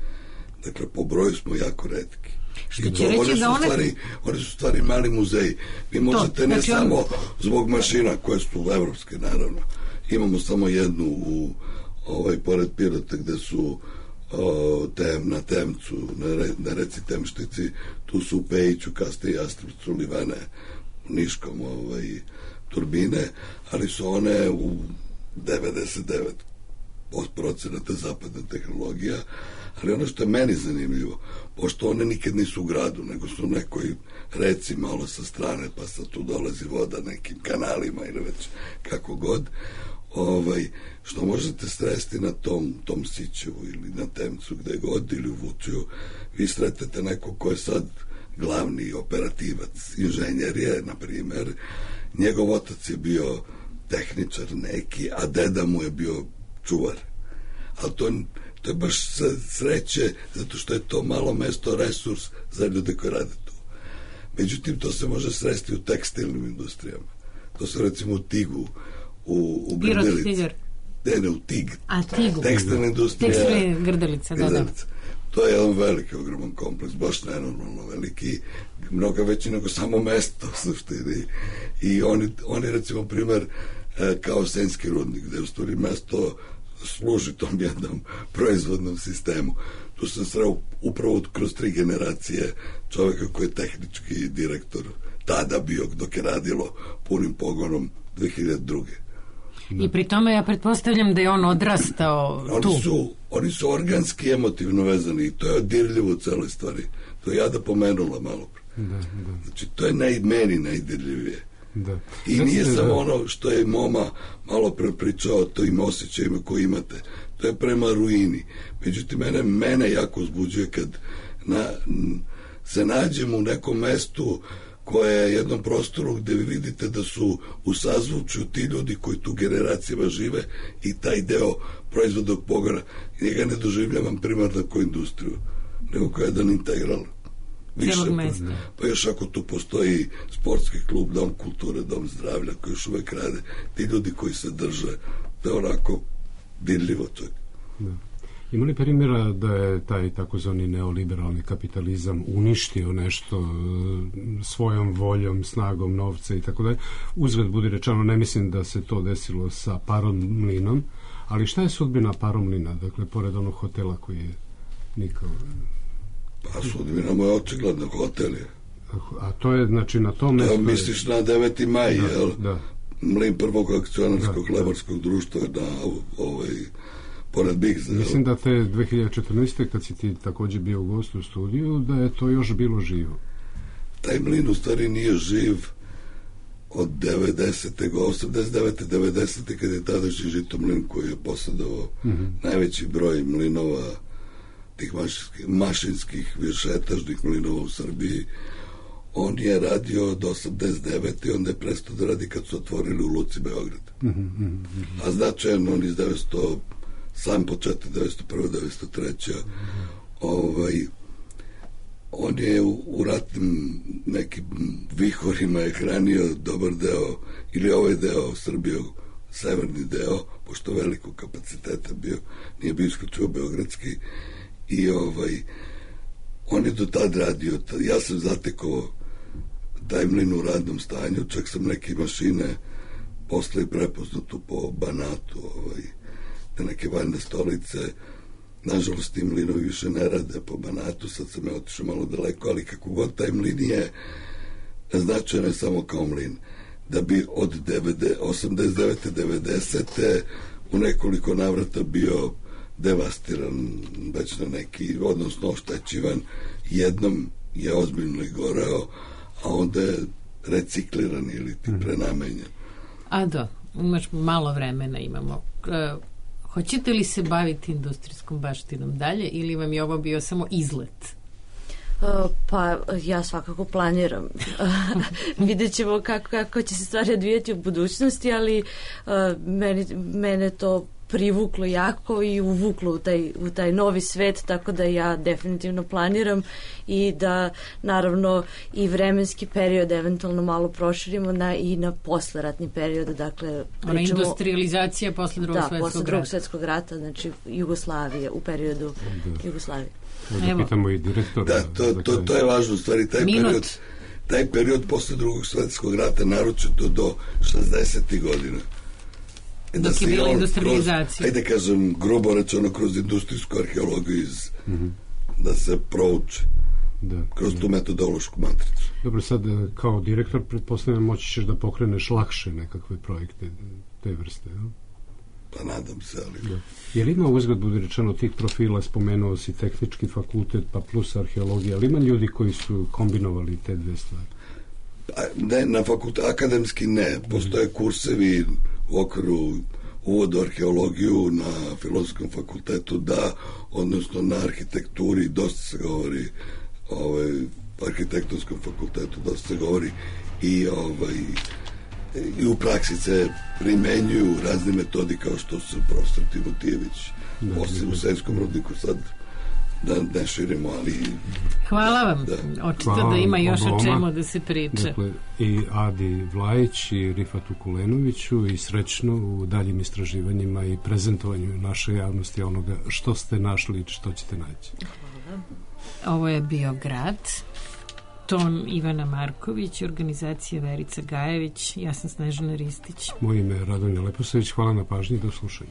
Dakle, po broju smo jako retki. Što će reći da one... Stvari, one su stvari mali muzeji. Vi možete to, ne znači samo on... zbog mašina koje su evropske, naravno. Imamo samo jednu u ovaj, pored Pirota gde su o, tem, na Temcu, na, re, na reci Temštici, tu su u Pejiću, Kaste i Jastrupcu, Livane, Niškom ovaj, turbine, ali su one u devedeset devet procenata zapadna tehnologija, ali ono što je meni zanimljivo, pošto one nikad nisu u gradu, nego su u nekoj reci malo sa strane, pa sad tu dolazi voda nekim kanalima ili već kako god, ovaj, što možete sresti na tom, tom Sićevu ili na Temcu, gde god, ili u Vučju, vi sretete neko ko je sad glavni operativac, inženjer je, na primer, njegov otac je bio tehničar neki, a deda mu je bio čuvar. Ali to, to je baš sreće, zato što je to malo mesto resurs za ljude koji rade tu. Međutim, to se može sresti u tekstilnim industrijama. To se recimo u Tigu, u, u Grdelici. Ne, ne, u Tig. A, Tigu. Tekstilna industrija. Tekstilna Grdelica, da, da. To je jedan veliki, ogroman kompleks, baš nenormalno veliki, mnogo veći nego samo mesto u suštini. I oni, oni recimo, primer, kao Senjski rudnik, gde u stvari mesto služi tom jednom proizvodnom sistemu. Tu sam sreo upravo kroz tri generacije čoveka koji je tehnički direktor tada bio, dok je radilo punim pogonom dve hiljade druge. I pri tome ja pretpostavljam da je on odrastao oni tu. Su, oni su organski emotivno vezani i to je dirljivo u celoj stvari. To je Jada pomenula malo pre. Da, da. Znači, to je naj, meni najdirljivije. Da. I da nije se, samo da. ono što je Moma malo pre pričao o tojim osjećajima koje imate. To je prema ruini. Međutim, mene, mene jako uzbuđuje kad na, se nađem u nekom mestu koje je jednom prostoru gde vi vidite da su u sazvučju ti ljudi koji tu generacijama žive i taj deo proizvodnog pogona, njega ne doživljavam primarno kao industriju, nego kao jedan integral. Više, pa, pa još ako tu postoji sportski klub, dom kulture, dom zdravlja koji još uvek rade, ti ljudi koji se drže, to je onako dirljivo čak. Da. Ima li primjera da je taj takozvani neoliberalni kapitalizam uništio nešto svojom voljom, snagom novca i tako dalje? Uzgled budi rečeno, ne mislim da se to desilo sa Paromlinom, ali šta je sudbina Paromlina, dakle, pored onog hotela koji je nikao... Pa sudbina mu je očigledno hotel je. A to je, znači, na tom... Da, misliš na deveti maj, da, jel? Da. Mlin prvog akcionarskog da, lebarskog da. društva na ovaj... pored Bigza. Mislim da te dve hiljade četrnaeste. kad si ti također bio gost u studiju, da je to još bilo živo. Taj mlin u stvari nije živ od devedesete. osamdeset devete. devedesete. kad je tadašnji Žitomlin koji je posjedovao mm-hmm. najveći broj mlinova, tih mašinskih, mašinskih višetažnih mlinova u Srbiji. On je radio od osamdeset devete. i onda je prestao da radi kad su otvorili u Luci Beograd. Mm-hmm. A značajno on iz devetsto sam početak devetsto prve. devetsto treće. Mm-hmm. ovaj on je u, u ratnim nekim vihorima je hranio dobar deo ili ovaj deo Srbije, severni deo, pošto velikog kapaciteta bio, nije bio isključivo beogradski, i ovaj on je do tad radio. Ja sam zatekao taj mlin u radnom stanju, čak sam neke mašine posle prepoznatu po Banatu, ovaj, te neke valjne stolice. Nažalost, ti mlinovi više ne rade po Banatu, sad sam je otišao malo daleko, ali kako god taj mlin je značajan je samo kao mlin. da bi od osamdeset devete devedesete u nekoliko navrata bio devastiran već na neki, odnosno oštećivan. Jednom je ozbiljno i goreo, a onda je recikliran ili ti prenamenjen. Ado, imaš malo vremena imamo. Uh, hoćete li se baviti industrijskom baštinom dalje ili vam je ovo bio samo izlet? Uh, pa ja svakako planiram. Vidjet ćemo kako, kako će se stvari odvijati u budućnosti, ali uh, meni, mene to privuklo jako i uvuklo u taj, u taj novi svet, tako da ja definitivno planiram i da naravno i vremenski period eventualno malo proširimo na, i na posleratni period, dakle pričamo, ona industrializacija posle drugog da, svetskog posle drugog svetskog rata, znači Jugoslavije, u periodu da. Jugoslavije. Da pitamo i direktora. Da, to, to, to je važno, stvari, taj Minut. period taj period posle drugog svetskog rata, naročito do šezdesetih godina. Da dok je bila industrializacija. Ajde kažem, grubo rečeno, kroz industrijsku arheologiju iz, mm-hmm. da se prouči da, kroz da. tu metodološku matricu. Dobro, sad kao direktor pretpostavljam moći ćeš da pokreneš lakše nekakve projekte te vrste, no? Pa nadam se, ali... Da. Je li ima uzgled, bude rečeno, tih profila, spomenuo si tehnički fakultet, pa plus arheologija, ali ima ljudi koji su kombinovali te dve stvari? Pa, ne, na fakultet, akademski ne. Postoje kursevi u okviru uvod u arheologiju na Filozofskom fakultetu, da, odnosno na arhitekturi dosta se govori, ovaj, arhitektonskom fakultetu dosta se govori i ovaj i u praksi se primenjuju razne metodi kao što su profesor Timotijević, osim u Sremskom rudniku, sad da ne širimo, ali... Hvala vam. Da. Očito Hvala da ima još o čemu da se priča. Dakle, i Adi Vlajić i Rifatu Kulenoviću i srećno u daljim istraživanjima i prezentovanju naše javnosti onoga što ste našli i što ćete naći. Hvala. Ovo je bio Grad. Ton Ivana Marković, organizacija Verica Gajević, ja sam Snežana Ristić. Moje ime je Radonja Leposavić, hvala na pažnji i do slušanja.